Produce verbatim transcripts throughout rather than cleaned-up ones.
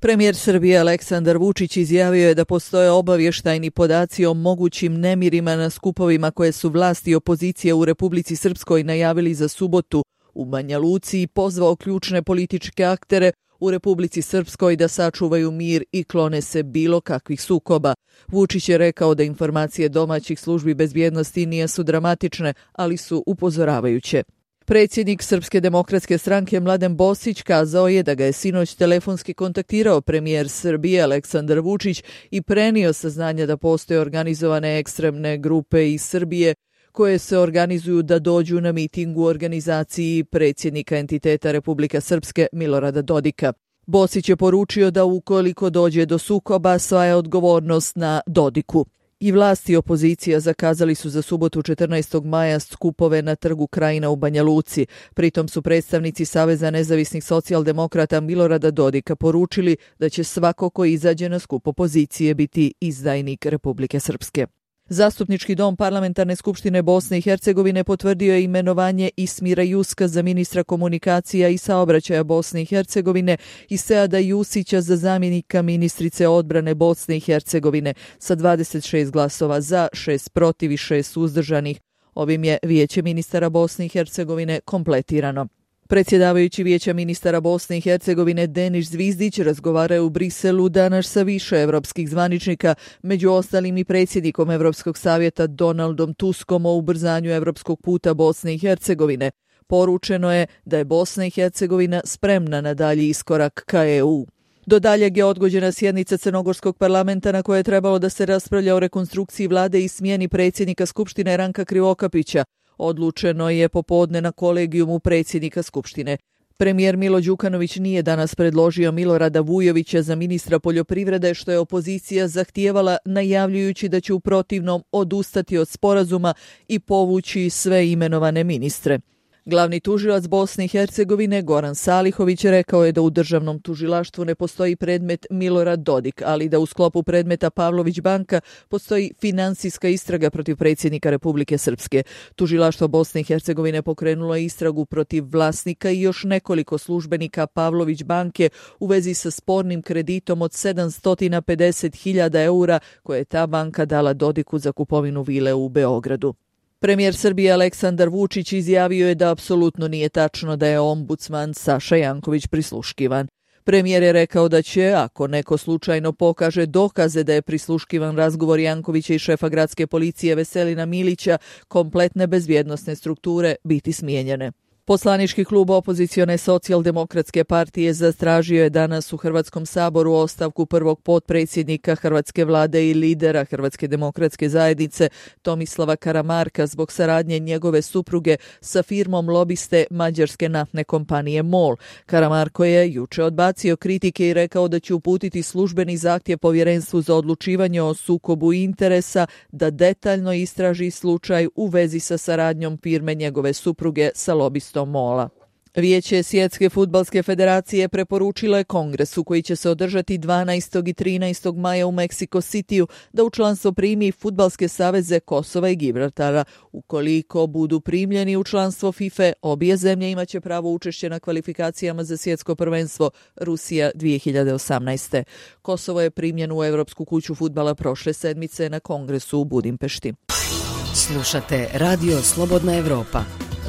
Premijer Srbije Aleksandar Vučić izjavio je da postoje obavještajni podaci o mogućim nemirima na skupovima koje su vlasti i opozicija u Republici Srpskoj najavili za subotu u Banja Luci i pozvao ključne političke aktere u Republici Srpskoj da sačuvaju mir i klone se bilo kakvih sukoba. Vučić je rekao da informacije domaćih službi bezbjednosti nisu dramatične, ali su upozoravajuće. Predsjednik Srpske demokratske stranke Mladen Bosić kazao je da ga je sinoć telefonski kontaktirao premijer Srbije Aleksandar Vučić i prenio saznanja da postoje organizovane ekstremne grupe iz Srbije koje se organizuju da dođu na miting u organizaciji predsjednika entiteta Republika Srpske Milorada Dodika. Bosić je poručio da ukoliko dođe do sukoba, sva je odgovornost na Dodiku. I vlasti i opozicija zakazali su za subotu četrnaestog maja skupove na trgu Krajina u Banja Luci. Pritom su predstavnici Saveza nezavisnih socijaldemokrata Milorada Dodika poručili da će svako ko izađe na skup opozicije biti izdajnik Republike Srpske. Zastupnički dom Parlamentarne skupštine Bosne i Hercegovine potvrdio je imenovanje Ismira Juska za ministra komunikacija i saobraćaja Bosne i Hercegovine i Seada Jusića za zamjenika ministrice odbrane Bosne i Hercegovine sa dvadeset šest glasova za, šest protiv i šest suzdržanih. Ovim je Vijeće ministara Bosne i Hercegovine kompletirano. Predsjedavajući Vijeća ministara Bosne i Hercegovine Denis Zvizdić razgovarao u Briselu danas sa više evropskih zvaničnika, među ostalim i predsjednikom Evropskog savjeta Donaldom Tuskom o ubrzanju evropskog puta Bosne i Hercegovine. Poručeno je da je Bosna i Hercegovina spremna na dalji iskorak ka E U. Do daljeg je odgođena sjednica Crnogorskog parlamenta na kojoj je trebalo da se raspravlja o rekonstrukciji vlade i smjeni predsjednika Skupštine Ranka Krivokapića. Odlučeno je popodne na kolegijumu predsjednika Skupštine. Premijer Milo Đukanović nije danas predložio Milorada Vujovića za ministra poljoprivrede, što je opozicija zahtijevala najavljujući da će u protivnom odustati od sporazuma i povući sve imenovane ministre. Glavni tužilac Bosne i Hercegovine Goran Salihović rekao je da u državnom tužilaštvu ne postoji predmet Milorad Dodik, ali da u sklopu predmeta Pavlović banka postoji finansijska istraga protiv predsjednika Republike Srpske. Tužilaštvo Bosne i Hercegovine pokrenulo je istragu protiv vlasnika i još nekoliko službenika Pavlović banke u vezi sa spornim kreditom od sedamsto pedeset hiljada eura koje je ta banka dala Dodiku za kupovinu vile u Beogradu. Premijer Srbije Aleksandar Vučić izjavio je da apsolutno nije tačno da je ombudsman Saša Janković prisluškivan. Premijer je rekao da će, ako neko slučajno pokaže dokaze da je prisluškivan razgovor Jankovića i šefa gradske policije Veselina Milića, kompletne bezbjednosne strukture biti smijenjene. Poslanički klub opozicione socijaldemokratske partije zatražio je danas u Hrvatskom saboru ostavku prvog potpredsjednika Hrvatske vlade i lidera Hrvatske demokratske zajednice Tomislava Karamarka zbog saradnje njegove supruge sa firmom lobiste mađarske naftne kompanije MOL. Karamarko je juče odbacio kritike i rekao da će uputiti službeni zahtjev Povjerenstvu za odlučivanje o sukobu interesa da detaljno istraži slučaj u vezi sa saradnjom firme njegove supruge sa lobistom Mola. Vijeće Svjetske fudbalske federacije preporučilo je kongresu koji će se održati dvanaestog i trinaestog maja u Meksiko Cityu da u članstvo primi fudbalske saveze Kosova i Gibraltara. Ukoliko budu primljeni u članstvo FIFA, obje zemlje imaće pravo učešće na kvalifikacijama za svjetsko prvenstvo Rusija dvije hiljade osamnaeste. Kosovo je primljeno u Evropsku kuću fudbala prošle sedmice na kongresu u Budimpešti. Slušate Radio Slobodna Evropa.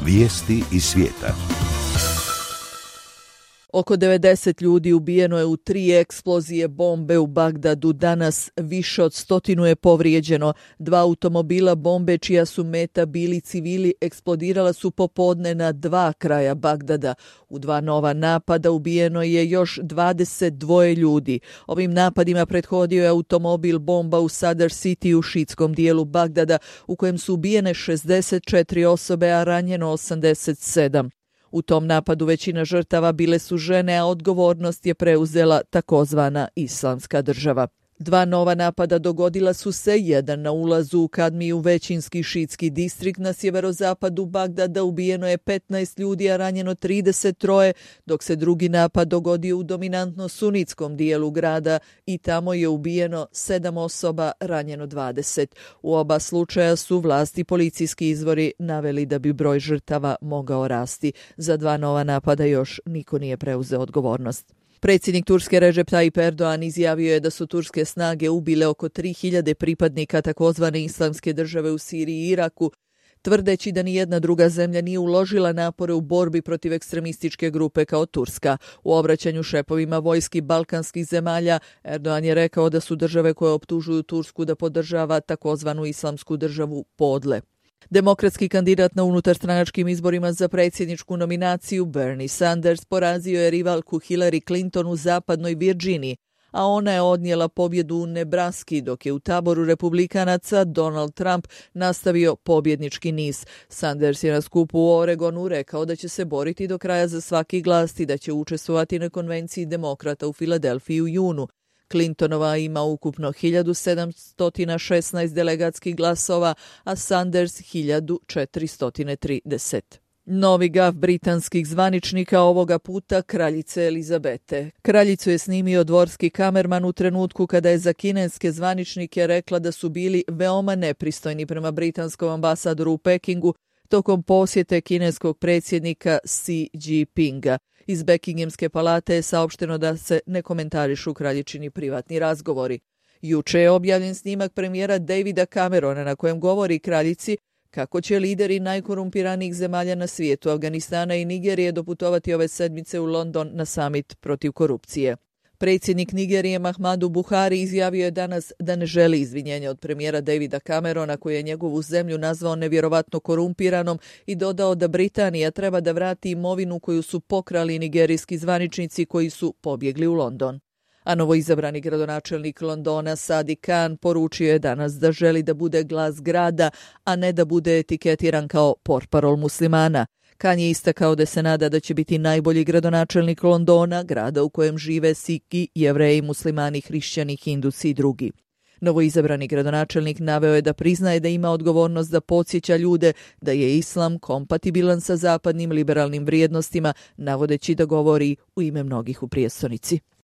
Vijesti iz svijeta. Oko devedeset ljudi ubijeno je u tri eksplozije bombe u Bagdadu. Danas više od stotinu je povrijeđeno. Dva automobila bombe čija su meta bili civili eksplodirala su popodne na dva kraja Bagdada. U dva nova napada ubijeno je još dvadeset dva ljudi. Ovim napadima prethodio je automobil bomba u Sadr City u šiitskom dijelu Bagdada u kojem su ubijene šezdeset četiri osobe, a ranjeno osamdeset sedam. U tom napadu većina žrtava bile su žene, a odgovornost je preuzela takozvana Islamska država. Dva nova napada dogodila su se, jedan na ulazu u Kadmiju, većinski šiitski distrikt na sjeverozapadu Bagdada, ubijeno je petnaest ljudi, a ranjeno trideset tri, dok se drugi napad dogodio u dominantno sunitskom dijelu grada i tamo je ubijeno sedam osoba, ranjeno dvadeset. U oba slučaja su vlasti policijski izvori naveli da bi broj žrtava mogao rasti. Za dva nova napada još niko nije preuzeo odgovornost. Predsjednik Turske Recep Tayyip Erdogan izjavio je da su turske snage ubile oko tri hiljade pripadnika takozvane islamske države u Siriji i Iraku, tvrdeći da nijedna druga zemlja nije uložila napore u borbi protiv ekstremističke grupe kao Turska. U obraćanju šepovima vojski balkanskih zemalja, Erdogan je rekao da su države koje optužuju Tursku da podržava takozvanu islamsku državu podle. Demokratski kandidat na unutarstranačkim izborima za predsjedničku nominaciju Bernie Sanders porazio je rivalku Hillary Clinton u zapadnoj Virginiji, a ona je odnijela pobjedu u Nebraski, dok je u taboru republikanaca Donald Trump nastavio pobjednički niz. Sanders je na skupu u Oregonu rekao da će se boriti do kraja za svaki glas i da će učestvovati na konvenciji demokrata u Filadelfiji u junu. Clintonova ima ukupno hiljadu sedamsto šesnaest delegatskih glasova, a Sanders hiljadu četiristo trideset. Novi gaf britanskih zvaničnika ovoga puta kraljice Elizabete. Kraljicu je snimio dvorski kamerman u trenutku kada je za kineske zvaničnike rekla da su bili veoma nepristojni prema britanskom ambasadoru u Pekingu tokom posjete kineskog predsjednika Xi Jinpinga. Iz Buckinghamske palate je saopšteno da se ne komentarišu kraljičini privatni razgovori. Juče je objavljen snimak premijera Davida Camerona na kojem govori kraljici kako će lideri najkorumpiranijih zemalja na svijetu, Afganistana i Nigerije, doputovati ove sedmice u London na summit protiv korupcije. Predsjednik Nigerije Muhammadu Buhari izjavio je danas da ne želi izvinjenja od premijera Davida Camerona, koji je njegovu zemlju nazvao nevjerovatno korumpiranom, i dodao da Britanija treba da vrati imovinu koju su pokrali nigerijski zvaničnici koji su pobjegli u London. A novoizabrani gradonačelnik Londona Sadiq Khan poručio je danas da želi da bude glas grada, a ne da bude etiketiran kao portparol muslimana. Khan je istakao da se nada da će biti najbolji gradonačelnik Londona, grada u kojem žive Sikhi, Jevreji, muslimani, hrišćani, hindusi i drugi. Novoizabrani gradonačelnik naveo je da priznaje da ima odgovornost da podsjeća ljude da je islam kompatibilan sa zapadnim liberalnim vrijednostima, navodeći da govori u ime mnogih u prijestolnici.